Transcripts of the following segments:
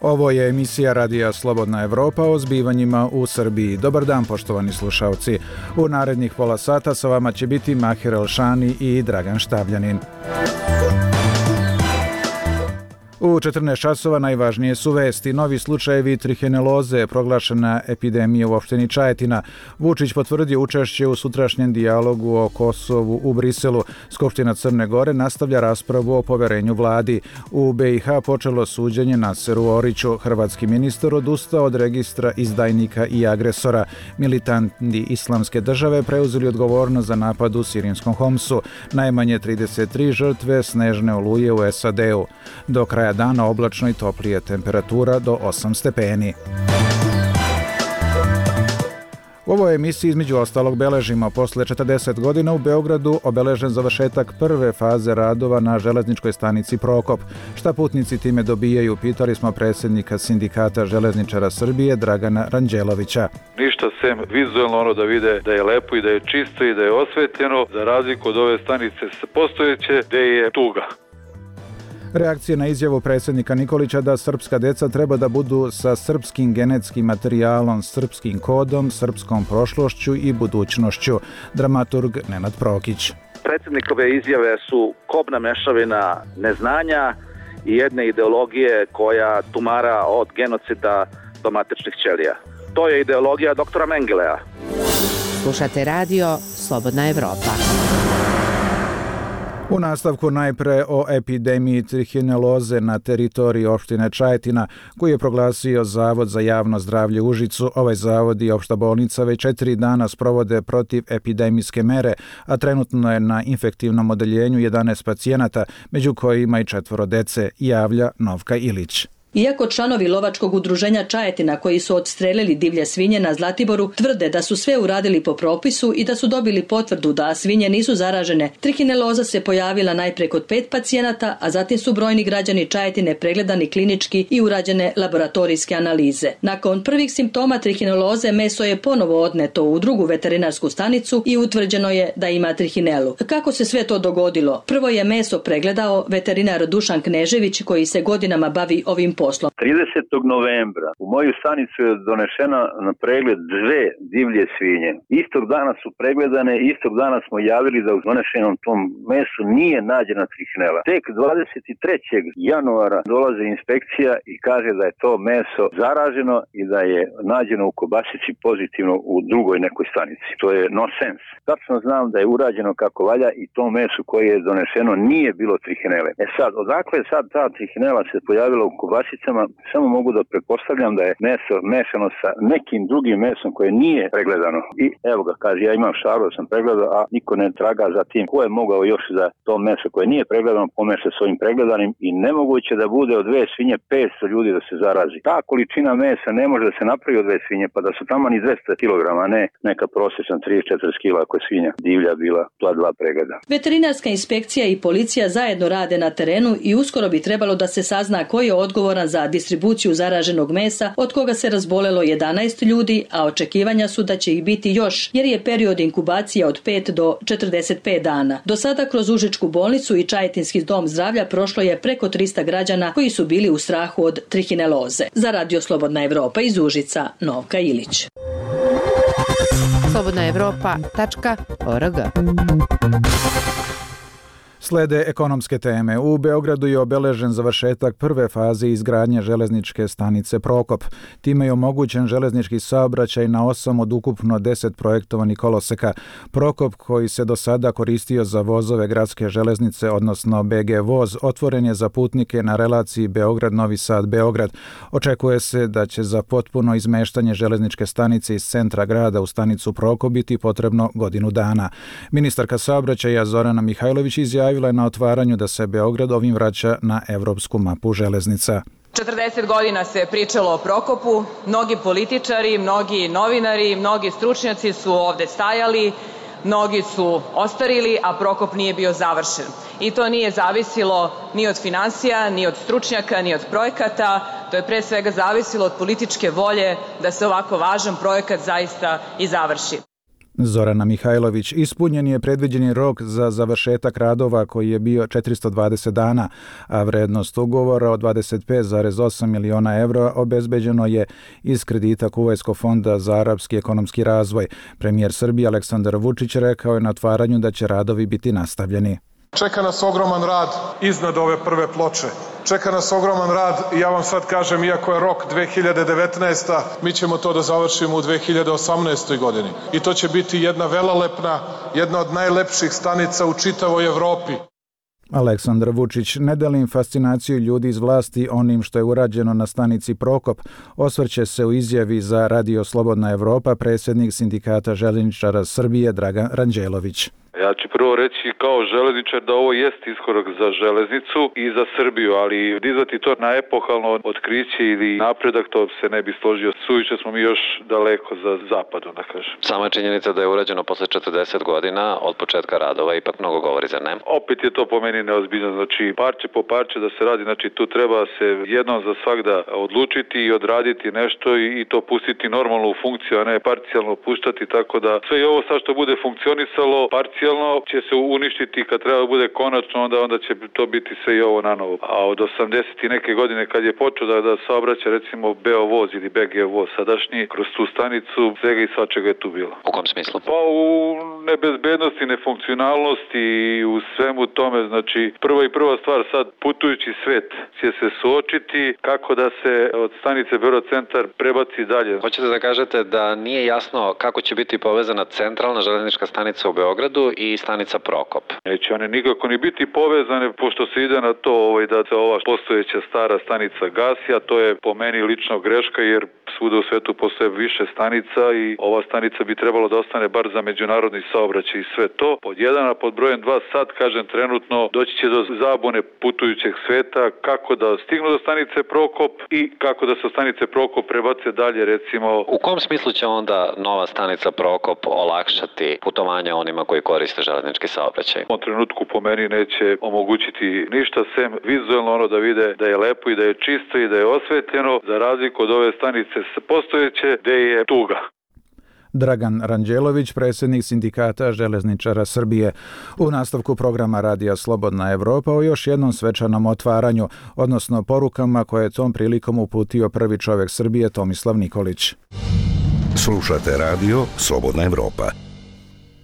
Ovo je emisija Radija Slobodna Evropa o zbivanjima u Srbiji. Dobar dan, poštovani slušalci. U narednih pola sata sa vama će biti Mahir Elšani i Dragan Štavljanin. U 14 časova najvažnije su vesti. Novi slučajevi trihineloze, proglašena epidemija u opštini Čajetina. Vučić potvrdio učešće u sutrašnjem dijalogu o Kosovu u Briselu. Skupština Crne Gore nastavlja raspravu o poverenju vladi. U BiH počelo suđenje Naseru Oriću. Hrvatski ministar odustao od registra izdajnika i agresora. Militanti Islamske države preuzeli odgovornost za napad u sirijskom Homsu. Najmanje 33 žrtve snežne oluje u SAD-u. Do kraja dana oblačno i toplije, temperatura do 8 stepeni. U ovoj emisiji između ostalog beležimo posle 40 godina u Beogradu obeležen završetak prve faze radova na železničkoj stanici Prokop. Šta putnici time dobijaju, pitali smo predsjednika Sindikata železničara Srbije Dragana Ranđelovića. Ništa sem vizualno da vide da je lepo i da je čisto i da je osvetljeno, za razliku od ove stanice postojeće gde je tuga. Reakcije na izjavu predsjednika Nikolića da srpska deca treba da budu sa srpskim genetskim materijalom, srpskim kodom, srpskom prošlošću i budućnošću. Dramaturg Nenad Prokić. Predsjednikove izjave su kobna mešavina neznanja i jedne ideologije koja tumara od genocida do matičnih ćelija. To je ideologija doktora Mengelea. Slušate radio Slobodna Evropa. U nastavku najpre o epidemiji trihineloze na teritoriji opštine Čajetina, koji je proglasio Zavod za javno zdravlje u Užicu. Ovaj zavod i opšta bolnica već 4 dana sprovode protiv epidemijske mere, a trenutno je na infektivnom odeljenju 11 pacijenata, među kojima i 4 dece, javlja Novka Ilić. Iako članovi lovačkog udruženja Čajetina koji su odstrelili divlje svinje na Zlatiboru tvrde da su sve uradili po propisu i da su dobili potvrdu da svinje nisu zaražene, trihineloza se pojavila najpre kod 5 pacijenata, a zatim su brojni građani Čajetine pregledani klinički i urađene laboratorijske analize. Nakon prvih simptoma trihineloze meso je ponovo odneto u drugu veterinarsku stanicu i utvrđeno je da ima trihinelu. Kako se sve to dogodilo? Prvo je meso pregledao veterinar Dušan Knežević koji se godinama bavi ovim poslom. 30. novembra u moju stanicu je donešena na pregled 2 divlje svinje. Istog dana su pregledane, istog dana smo javili da u donešenom tom mesu nije nađena trihinela. Tek 23. januara dolazi inspekcija i kaže da je to meso zaraženo i da je nađeno u kobasici pozitivno u drugoj nekoj stanici. To je no sense. Tačno znam da je urađeno kako valja i to meso koje je donešeno nije bilo trihinele. Sad, odakle sad ta trihinela se pojavila u kobasicama, samo mogu da pretpostavljam da je meso mešano sa nekim drugim mesom koje nije pregledano. I evo ga, kaže, ja imam šaru da sam pregledao, a niko ne traga za tim ko je mogao još za to meso koje nije pregledano pomeša s ovim pregledanim i nemoguće da bude od 2 svinje 500 ljudi da se zarazi. Ta količina mesa ne može da se napravi od 2 svinje, pa da su tamo ni 200 kg, a ne neka prosječna 34 kg ako je svinja divlja bila, to 2 pregleda. Veterinarska inspekcija i policija zajedno rade na terenu i uskoro bi trebalo da se sazna ko je odgovoran za distribuciju zaraženog mesa, od koga se razbolelo 11 ljudi, a očekivanja su da će ih biti još, jer je period inkubacije od 5 do 45 dana. Do sada kroz Užičku bolnicu i Čajetinski dom zdravlja prošlo je preko 300 građana koji su bili u strahu od trihineloze. Za Radio Slobodna Evropa iz Užica, Novka Ilić. slobodnaevropa.org. Slede ekonomske teme. U Beogradu je obeležen završetak prve faze izgradnje železničke stanice Prokop. Time je omogućen železnički saobraćaj na 8 od ukupno 10 projektovanih koloseka. Prokop, koji se do sada koristio za vozove gradske železnice, odnosno BG voz, otvoren je za putnike na relaciji Beograd-Novi Sad-Beograd. Očekuje se da će za potpuno izmeštanje železničke stanice iz centra grada u stanicu Prokop biti potrebno godinu dana. Ministarka saobraćaja Zorana Mihajlović izjavila je na otvaranju da se Beograd ovim vraća na evropsku mapu železnica. 40 godina se pričalo o Prokopu, mnogi političari, mnogi novinari, mnogi stručnjaci su ovde stajali, mnogi su ostarili, a Prokop nije bio završen. I to nije zavisilo ni od finansija, ni od stručnjaka, ni od projekata, to je pre svega zavisilo od političke volje da se ovako važan projekat zaista i završi. Zorana Mihajlović. Ispunjen je predviđeni rok za završetak radova koji je bio 420 dana, a vrednost ugovora od 25,8 miliona evra obezbeđeno je iz kredita Kuvajskog fonda za arapski ekonomski razvoj. Premijer Srbije Aleksandar Vučić rekao je na otvaranju da će radovi biti nastavljeni. Čeka nas ogroman rad iznad ove prve ploče. Čeka nas ogroman rad i ja vam sad kažem, iako je rok 2019. mi ćemo to da završimo u 2018. godini. I to će biti jedna velelepna, jedna od najlepših stanica u čitavoj Evropi. Aleksandar Vučić ne delim fascinaciju ljudi iz vlasti onim što je urađeno na stanici Prokop. Osvrće se u izjavi za Radio Slobodna Evropa predsjednik Sindikata željezničara Srbije Dragan Ranđelović. Ja ću prvo reći kao železničar da ovo jest iskorak za železnicu i za Srbiju, ali dizati to na epohalno otkriće ili napredak, to se ne bi složio. Suviše smo mi još daleko za zapadom, da kažem. Sama činjenica da je urađeno posle 40 godina od početka radova ipak mnogo govori, zar ne? Opet je to po meni neozbiljno, znači parče po parče da se radi, znači tu treba se jednom za svagda odlučiti i odraditi nešto i to pustiti normalno u funkciju, a ne parcijalno puštati, tako da sve i ovo sad što bude funkcionisalo parcijalno će se uništiti kad treba bude konačno, onda će to biti sve i ovo na novo. A od 80 i neke godine kad je počeo da saobraća recimo Beovoz ili BG voz sadašnji, kroz tu stanicu svega i svačega je tu bilo. U kom smislu? Pa u nebezbednosti, nefunkcionalnosti i u svemu tome, znači prva stvar sad putujući svet će se suočiti kako da se od stanice Beograd centar prebaci dalje. Hoćete da kažete da nije jasno kako će biti povezana centralna železnička stanica u Beogradu i stanica Prokop? Neće one nikako ni biti povezane, pošto se ide na to da se ova postojeća stara stanica gasi, a to je po meni lično greška, jer svuda u svetu postoje više stanica i ova stanica bi trebalo da ostane bar za međunarodni saobraćaj i sve to. Pod 1, a pod brojem 2 sad, kažem trenutno, doći će do zabune putujućeg sveta, kako da stignu do stanice Prokop i kako da se stanice Prokop prebace dalje, recimo. U kom smislu će onda nova stanica Prokop olakšati putovanje onima koji koriste železnički saobraćaj? U trenutku po meni neće omogućiti ništa sem vizualno da vide da je lepo i da je čisto i da je osvetljeno, za razliku od ove stanice postojeće gde je tuga. Dragan Ranđelović, predsjednik Sindikata železničara Srbije. U nastavku programa Radija Slobodna Evropa o još jednom svečanom otvaranju, odnosno porukama koje je tom prilikom uputio prvi čovjek Srbije Tomislav Nikolić. Slušate Radio Slobodna Evropa.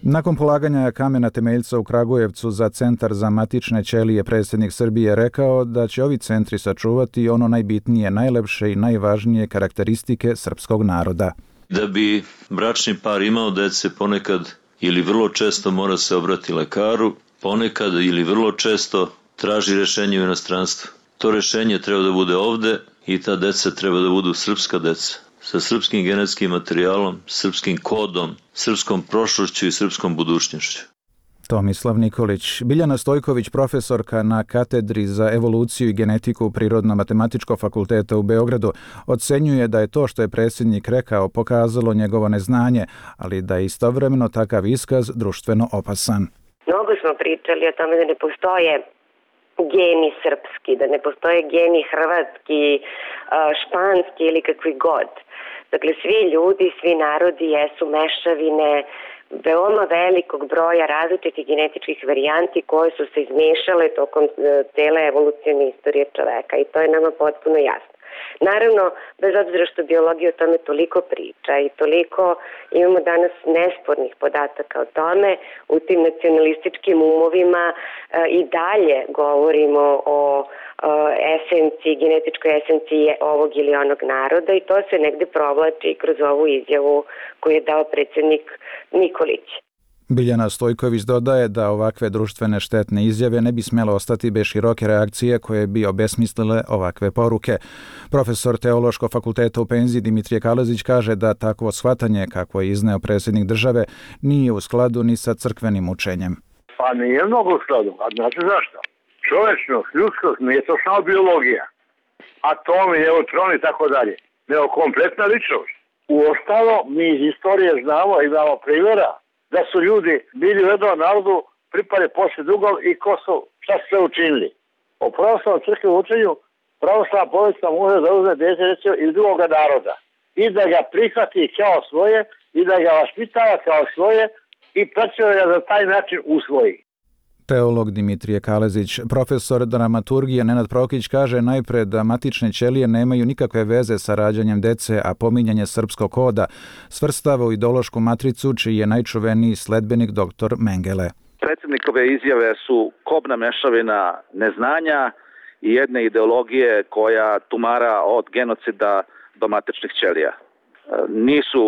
Nakon polaganja kamena temeljca u Kragujevcu za centar za matične ćelije, predsjednik Srbije rekao da će ovi centri sačuvati ono najbitnije, najlepše i najvažnije karakteristike srpskog naroda. Da bi bračni par imao dece, ponekad ili vrlo često mora se obrati lekaru, ponekad ili vrlo često traži rješenje u inostranstvu. To rješenje treba da bude ovde i ta deca treba da budu srpska deca, sa srpskim genetskim materijalom, srpskim kodom, srpskom prošlošću i srpskom budućnošću. Tomislav Nikolić. Biljana Stojković, profesorka na katedri za evoluciju i genetiku Prirodno-matematičkog fakulteta u Beogradu, ocenjuje da je to što je predsjednik rekao pokazalo njegovo neznanje, ali da je istovremeno takav iskaz društveno opasan. Mnogo smo pričali o tome da ne postoje geni srpski, da ne postoje geni hrvatski, španski ili kakvi god. Dakle, svi ljudi, svi narodi jesu mešavine veoma velikog broja različitih genetičkih varijanti koje su se izmešale tokom cele evolucijne istorije čoveka i to je nama potpuno jasno. Naravno, bez obzira što biologija o tome toliko priča i toliko imamo danas nespornih podataka o tome, u tim nacionalističkim umovima i dalje govorimo o esenciji, genetičkoj esenciji ovog ili onog naroda i to se negde provlači kroz ovu izjavu koju je dao predsjednik Nikolić. Biljana Stojković dodaje da ovakve društvene štetne izjave ne bi smjele ostati bez široke reakcije koje bi obesmislile ovakve poruke. Profesor Teološkog fakulteta u penziji Dimitrije Kalezić kaže da takvo shvatanje, kako je izneo predsjednik države, nije u skladu ni sa crkvenim učenjem. Pa nije mnogo u skladu, a znate zašto? Čovečnost, ljudskost, nije to samo biologija. Atomi, neutroni i tako dalje. Nego kompletna ličnost. Uostalo, mi iz istorije znamo i imamo primjera da su ljudi bili u jednom narodu, pripali poslije dugom i ko su, šta su sve učinili. O pravoslavnom crkvenom učenju, pravoslavna porodica može da uzme dete recimo iz drugoga naroda i da ga prihvati kao svoje i da ga vaspitava kao svoje i praćuje ga za taj način usvoji. Teolog Dimitrije Kalezić. Profesor dramaturgije Nenad Prokić kaže najpred da matične ćelije nemaju nikakve veze sa rađanjem dece, a pominjanje srpskog koda svrstava u ideološku matricu čiji je najčuveniji sledbenik dr. Mengele. Predsjednikove izjave su kobna mešavina neznanja i jedne ideologije koja tumara od genocida do matičnih ćelija. Nisu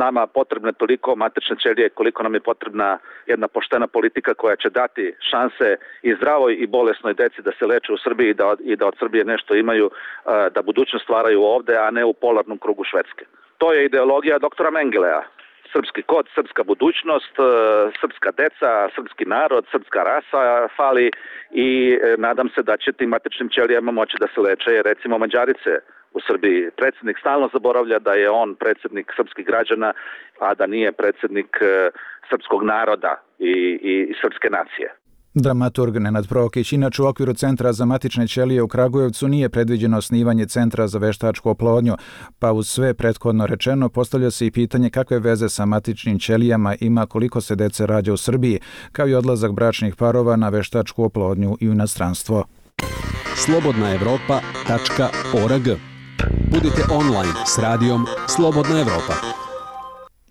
nama potrebne toliko matične ćelije koliko nam je potrebna jedna poštena politika koja će dati šanse i zdravoj i bolesnoj deci da se leče u Srbiji i da od Srbije nešto imaju, da budućnost stvaraju ovde, a ne u polarnom krugu Švedske. To je ideologija doktora Mengelea. Srpski kod, srpska budućnost, srpska deca, srpski narod, srpska rasa fali i nadam se da će tim matičnim ćelijama moći da se leče, recimo Mađarice u Srbiji. Predsjednik stalno zaboravlja da je on predsjednik srpskih građana, a da nije predsjednik srpskog naroda i srpske nacije. Dramaturg Nenad Prokić. Inače, u okviru Centra za matične ćelije u Kragujevcu nije predviđeno osnivanje Centra za veštačku oplodnju, pa uz sve prethodno rečeno postavlja se i pitanje kakve veze sa matičnim ćelijama ima koliko se dece rađa u Srbiji, kao i odlazak bračnih parova na veštačku oplodnju i u inostranstvo. slobodnaevropa.org. Budite online s radijom Slobodna Evropa.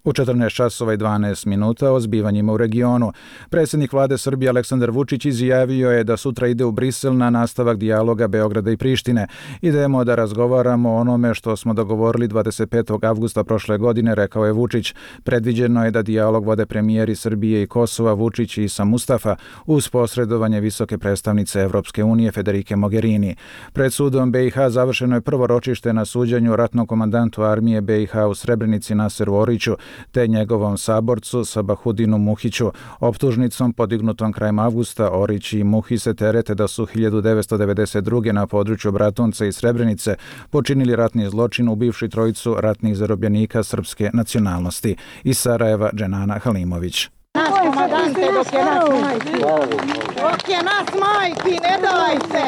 U 14 časova i 12 minuta o zbivanjima u regionu. Predsjednik vlade Srbije Aleksandar Vučić izjavio je da sutra ide u Brisel na nastavak dijaloga Beograda i Prištine. Idemo da razgovaramo o onome što smo dogovorili 25. avgusta prošle godine, rekao je Vučić. Predviđeno je da dijalog vode premijeri Srbije i Kosova Vučić i Isa Mustafa uz posredovanje visoke predstavnice Evropske unije Federike Mogherini. Pred sudom BiH završeno je prvo ročište na suđenju ratnom komandantu armije BiH u Srebrenici Naseru Oriću te njegovom saborcu Sabahudinu Muhiću. Optužnicom podignutom krajem avgusta Orić i Muhi se terete da su 1992. na području Bratunca i Srebrenice počinili ratni zločin ubivši trojicu ratnih zarobljenika srpske nacionalnosti. Iz Sarajeva Dženana Halimović. Naš komandante dok je nas majki. Dok je nas majki, ne dajte!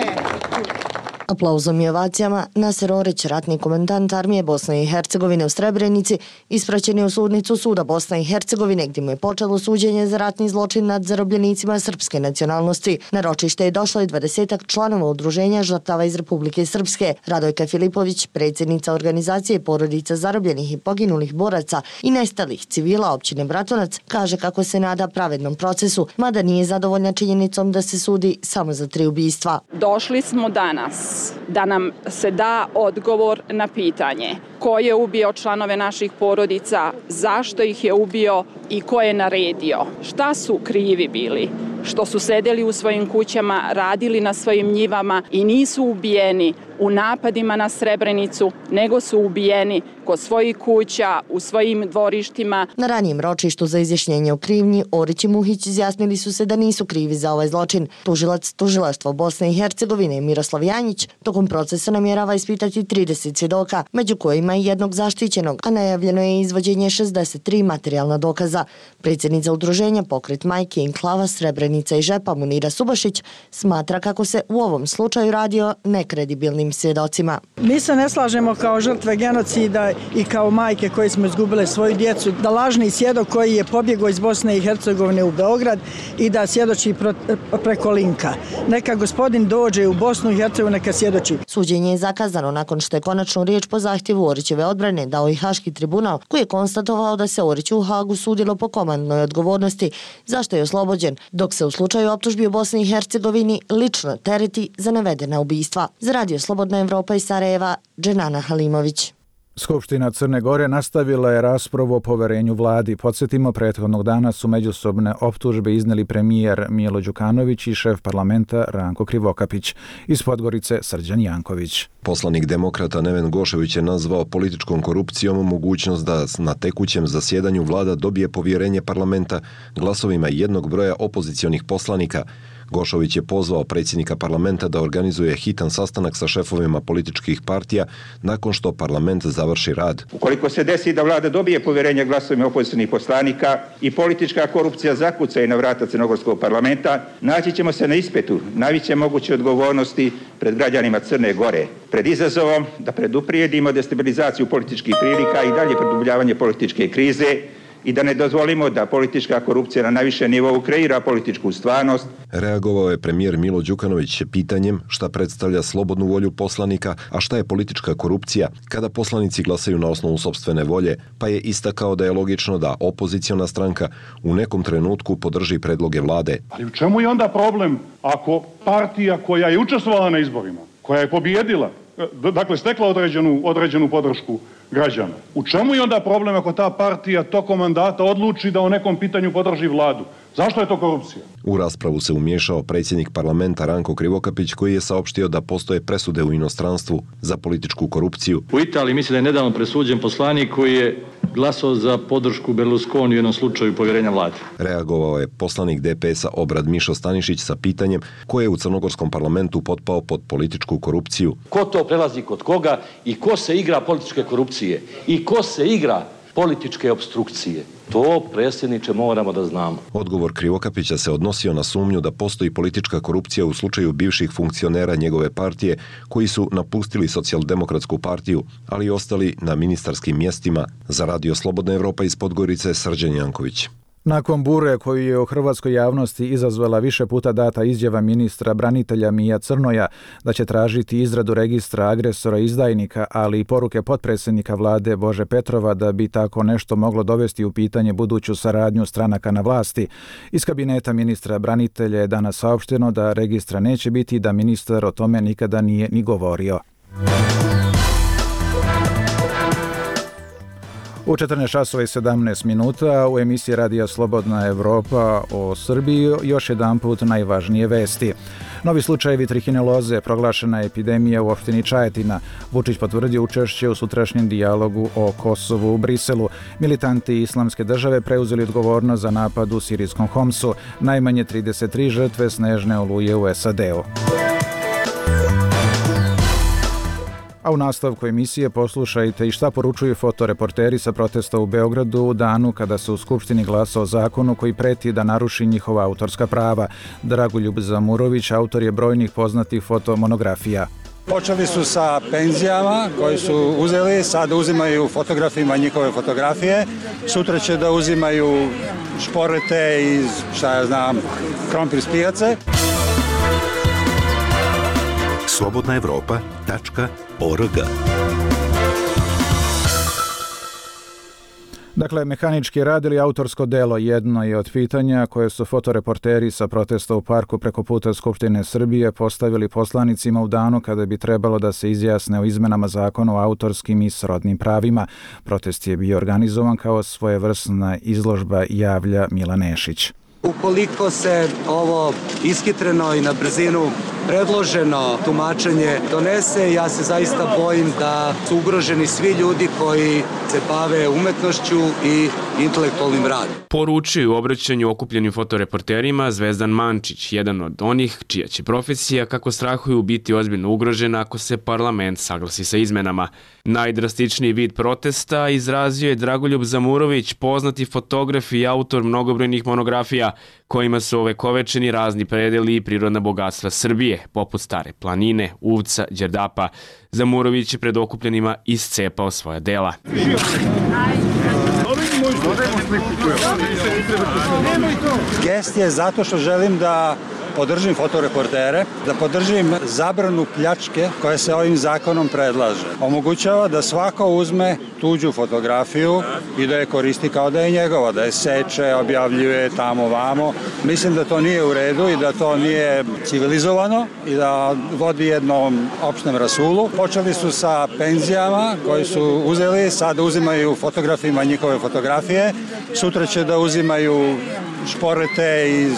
Aplauzom i ovacijama Naser Orić, ratni komandant armije Bosne i Hercegovine u Srebrenici, ispraćen je u sudnicu suda Bosne i Hercegovine gdje mu je počelo suđenje za ratni zločin nad zarobljenicima srpske nacionalnosti. Na ročište je došlo i 20 članova udruženja žrtava iz Republike Srpske. Radojka Filipović, predsjednica organizacije porodica zarobljenih i poginulih boraca i nestalih civila općine Bratunac, kaže kako se nada pravednom procesu, mada nije zadovoljna činjenicom da se sudi samo za 3 ubistva. Došli smo danas da nam se da odgovor na pitanje ko je ubio članove naših porodica, zašto ih je ubio i ko je naredio. Šta su krivi bili? Što su sedeli u svojim kućama, radili na svojim njivama i nisu ubijeni u napadima na Srebrenicu, nego su ubijeni kod svojih kuća, u svojim dvorištima. Na ranijem ročištu za izjašnjenje o krivnji, Orić i Muhić izjasnili su se da nisu krivi za ovaj zločin. Tužilac Tužilaštva Bosne i Hercegovine Miroslav Janjić tokom procesa namjerava ispitati 30 svjedoka, među kojima i jednog zaštićenog, a najavljeno je izvođenje 63 materijalna dokaza. Predsjednica udruženja Pokret majke Enklava Srebrenica i Žepa Munira Subašić smatra kako se u ovom slučaju radi o nekredibilnim svjedocima. Mi se ne slažemo kao žrtve genocida i kao majke koje smo izgubile svoju djecu, da lažni svjedok koji je pobjegao iz Bosne i Hercegovine u Beograd i da svjedoči preko linka. Neka gospodin dođe u Bosnu i Hercegovinu, neka svjedoči. Suđenje je zakazano nakon što je konačnu riječ po zahtjevu Orićeve odbrane dao i Haški tribunal, koji je konstatovao da se Oriću u Hagu sudilo po komandnoj odgovornosti, zašto je oslobođen, dok se u slučaju optužbi u Bosni i Hercegovini lično tereti za navedena ubistva. Za Radio Slobodna Evropa iz Sarajeva, Dženana Halimović. Skupština Crne Gore nastavila je raspravu o poverenju vladi. Podsjetimo, prethodnog dana su međusobne optužbe izneli premijer Milo Đukanović i šef parlamenta Ranko Krivokapić. Iz Podgorice Srđan Janković. Poslanik demokrata Neven Gošević je nazvao političkom korupcijom mogućnost da na tekućem zasjedanju vlada dobije povjerenje parlamenta glasovima jednog broja opozicionih poslanika. Gošović je pozvao predsjednika parlamenta da organizuje hitan sastanak sa šefovima političkih partija nakon što parlament završi rad. Ukoliko se desi da vlada dobije povjerenje glasovima opozicionih poslanika i politička korupcija zakuca i na vrata crnogorskog parlamenta, naći ćemo se na ispitu najveće moguće odgovornosti pred građanima Crne Gore, pred izazovom da preduprijedimo destabilizaciju političkih prilika i dalje produbljavanje političke krize i da ne dozvolimo da politička korupcija na najvišem nivou kreira političku stvarnost. Reagovao je premijer Milo Đukanović pitanjem šta predstavlja slobodnu volju poslanika, a šta je politička korupcija kada poslanici glasaju na osnovu sopstvene volje, pa je istakao da je logično da opoziciona stranka u nekom trenutku podrži predloge vlade. Ali u čemu je onda problem ako partija koja je učestvovala na izborima, koja je pobijedila, dakle stekla određenu podršku građana. U čemu je onda problem ako ta partija tokom mandata odluči da o nekom pitanju podrži vladu? Zašto je to korupcija? U raspravu se umiješao predsjednik parlamenta Ranko Krivokapić koji je saopštio da postoje presude u inostranstvu za političku korupciju. U Italiji mislim da je nedavno presuđen poslanik koji je glasao za podršku Berlusconi u jednom slučaju povjerenja vlade. Reagovao je poslanik DPS-a Obrad Mišo Stanišić sa pitanjem ko je u crnogorskom parlamentu potpao pod političku korupciju. Ko to prelazi kod koga i ko se igra političke korupcije i ko se igra političke obstrukcije. To, predsjedniče, moramo da znamo. Odgovor Krivokapića se odnosio na sumnju da postoji politička korupcija u slučaju bivših funkcionera njegove partije koji su napustili Socijaldemokratsku partiju, ali i ostali na ministarskim mjestima. Za Radio Slobodna Evropa iz Podgorice, Srđan Janković. Nakon bure koju je u hrvatskoj javnosti izazvala više puta data izjava ministra branitelja Mija Crnoja da će tražiti izradu registra agresora i izdajnika, ali i poruke potpredsjednika vlade Bože Petrova da bi tako nešto moglo dovesti u pitanje buduću saradnju stranaka na vlasti, iz kabineta ministra branitelja je danas saopšteno da registra neće biti i da ministar o tome nikada nije ni govorio. U 14:17 u emisiji Radija Slobodna Evropa o Srbiji još jedanput najvažnije vesti. Novi slučajevi trihineloze, proglašena epidemija u opštini Čajetina. Vučić potvrdio učešće u sutrašnjem dijalogu o Kosovu u Briselu. Militanti Islamske države preuzeli odgovornost za napad u sirijskom Homsu. Najmanje 33 žrtve snežne oluje u SAD-u. A u nastavku emisije poslušajte i šta poručuju fotoreporteri sa protesta u Beogradu u danu kada se u Skupštini glasa o zakonu koji preti da naruši njihova autorska prava. Dragoljub Zamurović autor je brojnih poznatih fotomonografija. Počeli su sa penzijama koje su uzeli, sad uzimaju fotografima njihove fotografije, sutra će da uzimaju šporete iz, krompir s pijace. slobodnaevropa.org. Dakle, mehanički rad ili autorsko delo jedno je od pitanja koje su fotoreporteri sa protesta u parku preko puta Skupštine Srbije postavili poslanicima u danu kada bi trebalo da se izjasne o izmenama zakona o autorskim i srodnim pravima. Protest je bio organizovan kao svojevrsna izložba, javlja Milan Nešić. Ukoliko se ovo ishitreno i na brzinu predloženo tumačenje donese, ja se zaista bojim da su ugroženi svi ljudi koji se bave umetnošću i intelektualnim radom. Poručuju u obraćanju okupljenim fotoreporterima Zvezdan Mančić, jedan od onih čija će profesija, kako strahuju, biti ozbiljno ugrožena ako se parlament saglasi sa izmenama. Najdrastičniji vid protesta izrazio je Dragoljub Zamurović, poznati fotograf i autor mnogobrojnih monografija, kojima su ovekovečeni razni predeli i prirodna bogatstva Srbije, poput Stare planine, Uvca, Đerdapa. Zamurović je pred okupljenima iscepao svoja dela. Gest je zato što želim da podržim fotoreportere, da podržim zabranu pljačke koja se ovim zakonom predlaže. Omogućava da svako uzme tuđu fotografiju i da je koristi kao da je njegova, da je seče, objavljuje tamo vamo. Mislim da to nije u redu i da to nije civilizovano i da vodi jednom opštem rasulu. Počeli su sa penzijama koje su uzeli, sad uzimaju fotografima njihove fotografije. Sutra će da uzimaju šporete iz,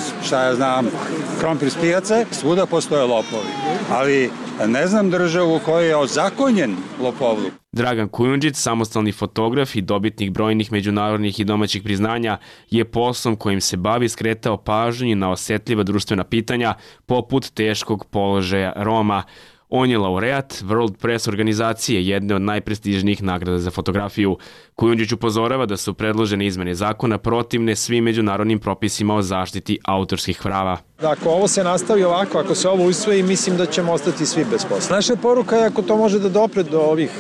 krompir s pijace, svuda postoje lopovi. Ali ne znam državu u kojoj je ozakonjen lopovluk. Dragan Kujundžić, samostalni fotograf i dobitnik brojnih međunarodnih i domaćih priznanja, je poslom kojim se bavi skretao pažnju na osetljiva društvena pitanja poput teškog položaja Roma. On je laureat World Press organizacije, jedne od najprestižnijih nagrada za fotografiju. Kujundžić upozorava da su predložene izmene zakona protivne svim međunarodnim propisima o zaštiti autorskih prava. Ako ovo se nastavi ovako, ako se ovo usvoji, mislim da ćemo ostati svi bez posla. Naša poruka je, ako to može da dopre do ovih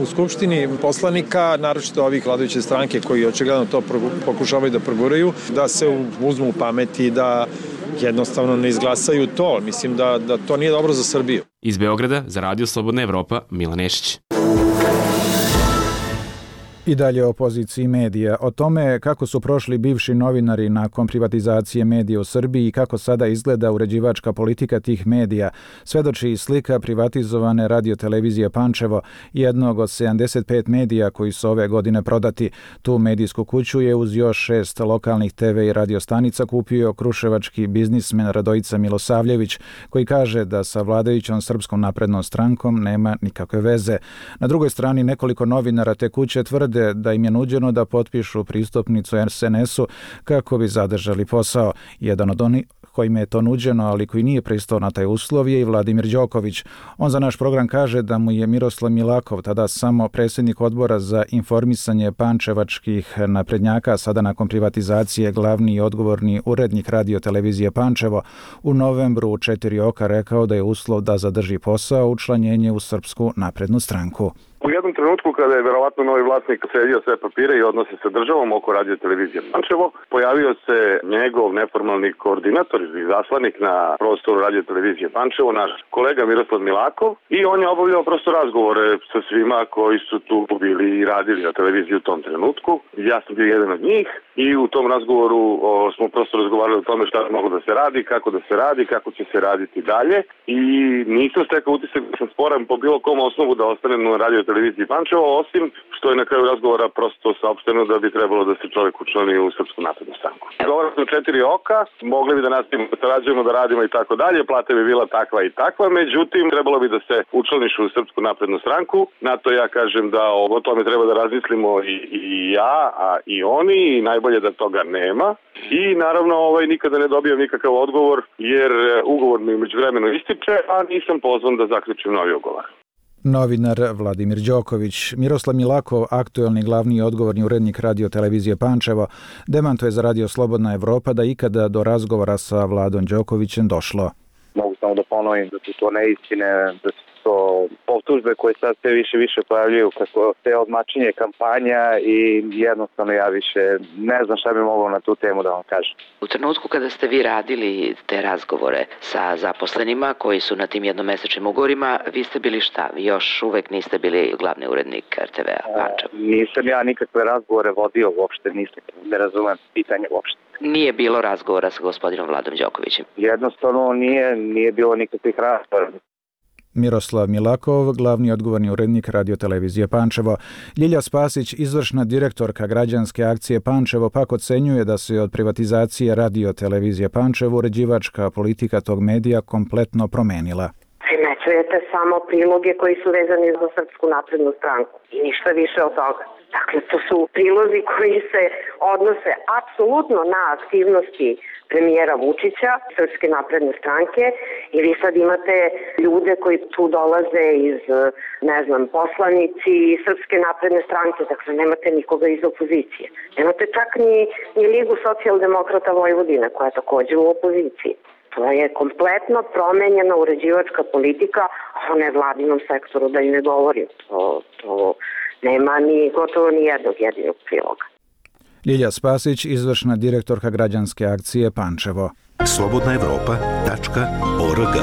u Skupštini poslanika, naročito ovih vladajuće stranke koji očigledno to pokušavaju da proguraju, da se uzmu u pameti, da jednostavno ne izglasaju to. Mislim da to nije dobro za Srbiju. Iz Beograda za Radio Slobodna Evropa, Milan Nešić. I dalje o poziciji medija. O tome kako su prošli bivši novinari nakon privatizacije medija u Srbiji i kako sada izgleda uređivačka politika tih medija, svedoči i slika privatizovane radiotelevizije Pančevo, jednog od 75 medija koji su ove godine prodati. Tu medijsku kuću je uz još 6 lokalnih TV i radiostanica kupio kruševački biznismen Radojica Milosavljević, koji kaže da sa vladajućom Srpskom naprednom strankom nema nikakve veze. Na drugoj strani nekoliko novinara te kuće tvrde da im je nuđeno da potpišu pristupnicu SNS-u kako bi zadržali posao. Jedan od onih kojima je to nuđeno, ali koji nije pristao na taj uslov, je i Vladimir Đoković. On za naš program kaže da mu je Miroslav Milakov, tada samo predsjednik odbora za informisanje pančevačkih naprednjaka, sada nakon privatizacije glavni i odgovorni urednik radiotelevizije Pančevo, u novembru u 4 oka rekao da je uslov da zadrži posao učlanjenje u Srpsku naprednu stranku. U jednom trenutku kada je verovatno novi vlasnik sredio sve papire i odnose sa državom oko radiotelevizije Pančevo, pojavio se njegov neformalni koordinator ili zaslanik na prostoru radiotelevizije Pančevo, naš kolega Miroslav Milakov, i on je obavljao prosto razgovore sa svima koji su tu bili i radili na televiziji u tom trenutku. Ja sam bio jedan od njih i u tom razgovoru smo prosto razgovarali o tome šta je moglo da se radi, kako će se raditi dalje, i nisam stekao utisak da sam sporan po bilo kom osnovu da ostane na radioteleviziji Pančevo, osim što je na kraju razgovora prosto saopšteno da bi trebalo da se čovjek učlani u Srpsku naprednu stranku. Govorili smo 4 oka, mogli bi da nastavimo da sarađujemo, da radimo i tako dalje, plata bi bila takva i takva, međutim trebalo bi da se učlaniš u Srpsku naprednu stranku. Na to ja kažem da o tome treba da razmislimo i ja, a i oni, i najbolje da toga nema. I naravno nikada ne dobijem nikakav odgovor jer ugovor mi međuvremeno ističe, a nisam pozvan da zaključim novi ugovor. Novinar Vladimir Đoković. Miroslav Milakov, aktuelni glavni i odgovorni urednik radiotelevizije Pančevo, demantuje za Radio Slobodna Evropa da ikada do razgovora sa Vladom Đokovićem došlo. Mogu samo da ponovim da su to neistine, da su to optužbe koje sad sve više pojavljuju kako te odmačenje kampanja, i jednostavno ja više ne znam šta bi mogao na tu temu da vam kažem. U trenutku kada ste vi radili te razgovore sa zaposlenima koji su na tim jednomesečnim ugovorima, vi ste bili šta? Vi još uvek niste bili glavni urednik RTV-a Pančevo? Nisam ja nikakve razgovore vodio uopšte, ne razumem pitanje uopšte. Nije bilo razgovora sa gospodinom Vladom Đokovićem? Jednostavno nije bilo nikakvih razgovora. Miroslav Milakov, glavni odgovorni urednik radiotelevizije Pančevo. Ljilja Spasić, izvršna direktorka građanske akcije Pančevo, pak ocenjuje da se od privatizacije radiotelevizije Pančevo uređivačka politika tog medija kompletno promenila. Primećujete samo priloge koji su vezani za Srpsku naprednu stranku i ništa više od toga. Dakle, to su prilozi koji se odnose apsolutno na aktivnosti premijera Vučića, Srpske napredne stranke, i vi sad imate ljude koji tu dolaze iz, poslanici Srpske napredne stranke, dakle nemate nikoga iz opozicije. Nemate čak ni Ligu socijaldemokrata Vojvodine, koja je također u opoziciji. To je kompletno promenjena uređivačka politika, a o nevladinom sektoru da i ne govorim. To nema gotovo ni jednog jedinog priloga. Ljilja Spasić, izvršna direktorka građanske akcije Pančevo. Slobodnaevropa.org.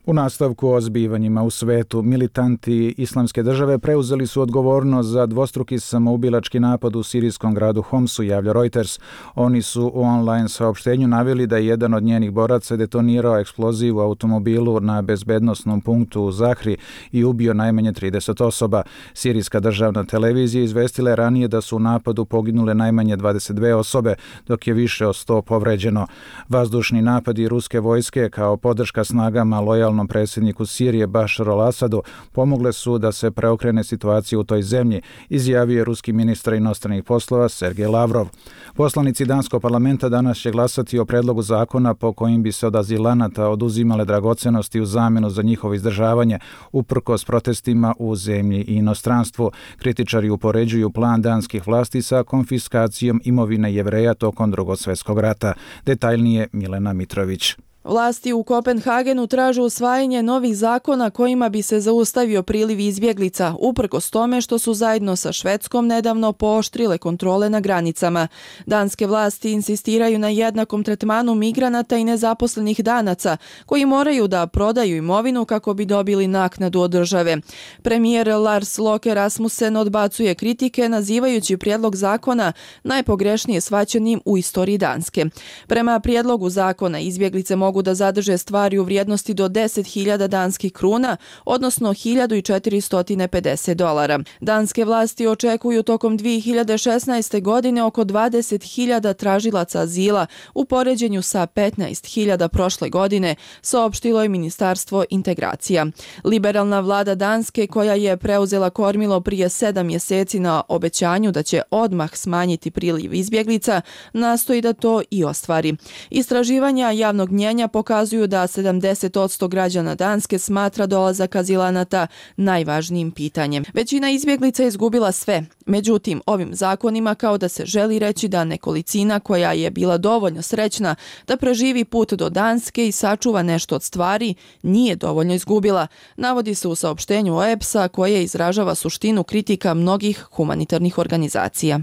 U nastavku o zbivanjima u svetu, militanti Islamske države preuzeli su odgovornost za dvostruki samoubilački napad u sirijskom gradu Homsu, javlja Reuters. Oni su u online saopštenju naveli da je jedan od njenih boraca detonirao eksploziv u automobilu na bezbednosnom punktu u Zahri i ubio najmanje 30 osoba. Sirijska državna televizija izvestila je ranije da su u napadu poginule najmanje 22 osobe, dok je više od 100 povređeno. Vazdušni napadi ruske vojske kao podrška snagama lojalnom predsjedniku Sirije Bašaru al-Asadu pomogle su da se preokrene situacija u toj zemlji, izjavio je ruski ministar inostranih poslova Sergej Lavrov. Poslanici danskog parlamenta danas će glasati o predlogu zakona po kojim bi se od azilanata oduzimale dragocenosti u zamjenu za njihovo izdržavanje, uprkos protestima u zemlji i inostranstvu. Kritičari upoređuju plan danskih vlasti sa konfiskacijom imovine Jevreja tokom Drugog svjetskog rata. Detaljnije Milena Mitrović. Vlasti u Kopenhagenu traže usvajanje novih zakona kojima bi se zaustavio priliv izbjeglica, uprkos tome što su zajedno sa Švedskom nedavno pooštrile kontrole na granicama. Danske vlasti insistiraju na jednakom tretmanu migranata i nezaposlenih Danaca, koji moraju da prodaju imovinu kako bi dobili naknadu od države. Premijer Lars Løkke Rasmussen odbacuje kritike, nazivajući prijedlog zakona najpogrešnije shvaćenim u istoriji Danske. Prema prijedlogu zakona izbjeglice mogu da zadrže stvari u vrijednosti do 10.000 danskih kruna, odnosno $1.450. Danske vlasti očekuju tokom 2016. godine oko 20.000 tražilaca azila u poređenju sa 15.000 prošle godine, saopštilo je Ministarstvo integracija. Liberalna vlada Danske, koja je preuzela kormilo prije 7 mjeseci na obećanju da će odmah smanjiti priliv izbjeglica, nastoji da to i ostvari. Istraživanja javnog mnjenja pokazuju da 70% građana Danske smatra dolazak azilanata najvažnijim pitanjem. Većina izbjeglica je izgubila sve. Međutim, ovim zakonima kao da se želi reći da nekolicina koja je bila dovoljno srećna da preživi put do Danske i sačuva nešto od stvari, nije dovoljno izgubila, navodi se u saopštenju OEBS-a koje izražava suštinu kritika mnogih humanitarnih organizacija.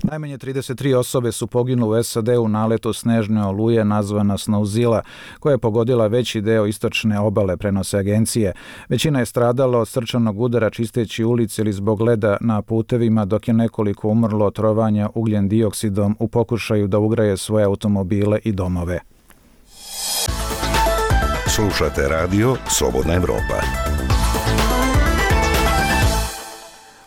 Najmanje 33 osobe su poginule u SAD u naletu snežne oluje nazvana Snowzilla, koja je pogodila veći deo istočne obale, prenose agencije. Većina je stradala od srčanog udara čisteći ulice ili zbog leda na putevima, dok je nekoliko umrlo od trovanja ugljen dioksidom u pokušaju da ugreje svoje automobile i domove. Slušate radio Slobodna Evropa.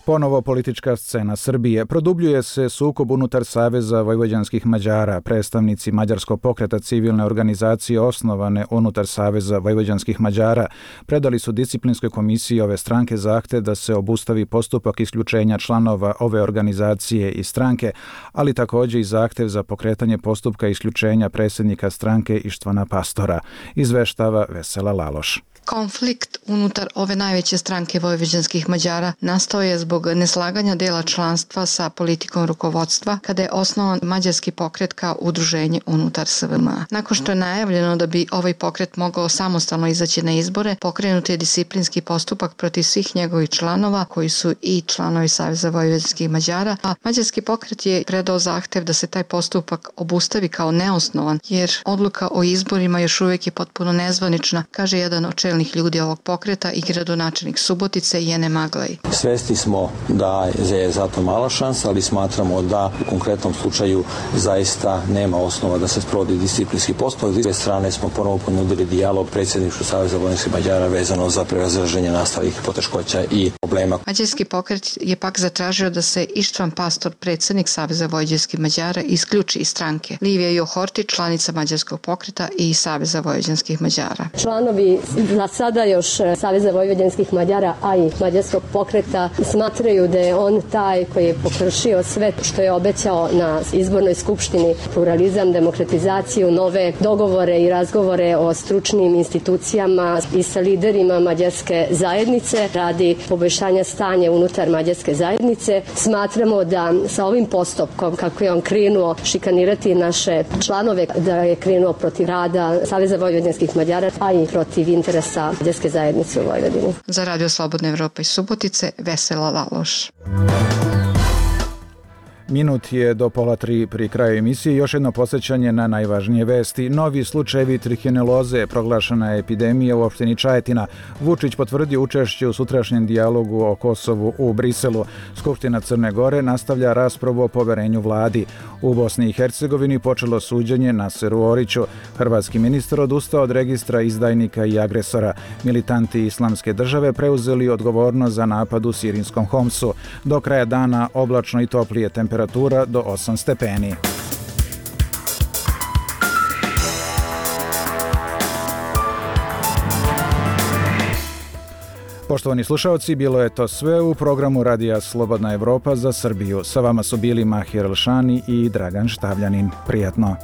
Ponovo politička scena Srbije. Produbljuje se sukob unutar Saveza vojvođanskih Mađara. Predstavnici Mađarskog pokreta civilne organizacije osnovane unutar Saveza vojvođanskih Mađara predali su disciplinskoj komisiji ove stranke zahtev da se obustavi postupak isključenja članova ove organizacije i stranke, ali također i zahtev za pokretanje postupka isključenja predsjednika stranke Ištvana Pastora. Izveštava Vesela Laloš. Konflikt unutar ove najveće stranke vojvođanskih Mađara nastao je zbog neslaganja dela članstva sa politikom rukovodstva kada je osnovan mađarski pokret kao udruženje unutar SVM. Nakon što je najavljeno da bi ovaj pokret mogao samostalno izaći na izbore, pokrenut je disciplinski postupak protiv svih njegovih članova koji su i članovi Saveza vojvođanskih Mađara, a mađarski pokret je predao zahtev da se taj postupak obustavi kao neosnovan, jer odluka o izborima još uvijek je potpuno nezvanična, kaže jedan od čelnih ljudi ovog pokreta i gradonačelnik Subotice Jene Maglaj. Svesni smo da je za to mala šansa, ali smatramo da u konkretnom slučaju zaista nema osnova da se sprovodi disciplinski postupak. S druge strane smo ponovo ponudili dijalog predsjedništvu Saveza vojvođanskih Mađara vezano za prevazilaženje nastalih poteškoća i problema. Mađarski pokret je pak zatražio da se Ištvan Pastor, predsjednik Saveza vojvođanskih Mađara, isključi iz stranke. Livija Johorti, članica mađarskog pokreta i Saveza vojvođanskih Mađara. Članovi za sada još Saveza vojvođanskih Mađara, a i mađarskog pokreta smatraju da je on taj koji je pokršio sve što je obećao na izbornoj skupštini: pluralizam, demokratizaciju, nove dogovore i razgovore o stručnim institucijama i sa liderima mađarske zajednice radi poboljšanja stanja unutar mađarske zajednice. Smatramo da sa ovim postupkom, kako je on krenuo šikanirati naše članove, da je krenuo protiv rada Saveza vojvođanskih Mađara, a i protiv interesa mađarske zajednice u Vojvodini. Za Radio Slobodna Evropa iz Subotice, Vesela Laloš. Minut je do 2:30 pri kraju emisije. Još jedno podsjećanje na najvažnije vesti. Novi slučajevi trihineloze, proglašena je epidemija u opštini Čajetina. Vučić potvrdio učešće u sutrašnjem dijalogu o Kosovu u Briselu. Skupština Crne Gore nastavlja raspravu o poverenju vladi. U Bosni i Hercegovini počelo suđenje Naseru Oriću. Hrvatski ministar odustao od registra izdajnika i agresora. Militanti Islamske države preuzeli odgovornost za napad u sirijskom Homsu. Do kraja dana oblačno i toplije, temperatura do 8 stepeni. Poštovani slušalci, bilo je to sve u programu Radija Slobodna Evropa za Srbiju. Sa vama su bili Mahir Elšani i Dragan Štavljanin. Prijatno.